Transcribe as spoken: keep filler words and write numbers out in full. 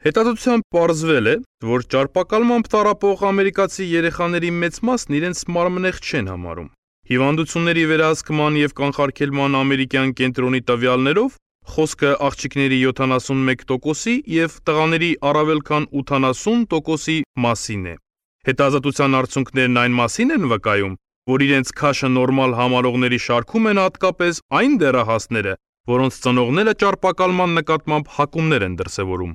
Հետազոտությամբ պարզվել է, որ ճարպակալմամբ տառապող ամերիկացի երեխաների մեծ մասն իրենց մարմնեղ չեն համարում։ Հիվանդությունների վերահսկման և կանխարգելման ամերիկյան կենտրոնի տվյալներով խոսքը աղջիկների յոթանասունմեկ տոկոսի և տղաների առավել քան ութանասուն տոկոսի մասին է։ Հետազոտության արդյունքներն այն մասին են վկայում, որ իրենց քաշը նորմալ համարողների շարքում են հատկապես այն դեռահասները, որոնց ծնողները ճարպակալման նկատմամբ հակումներ են դրսևորում։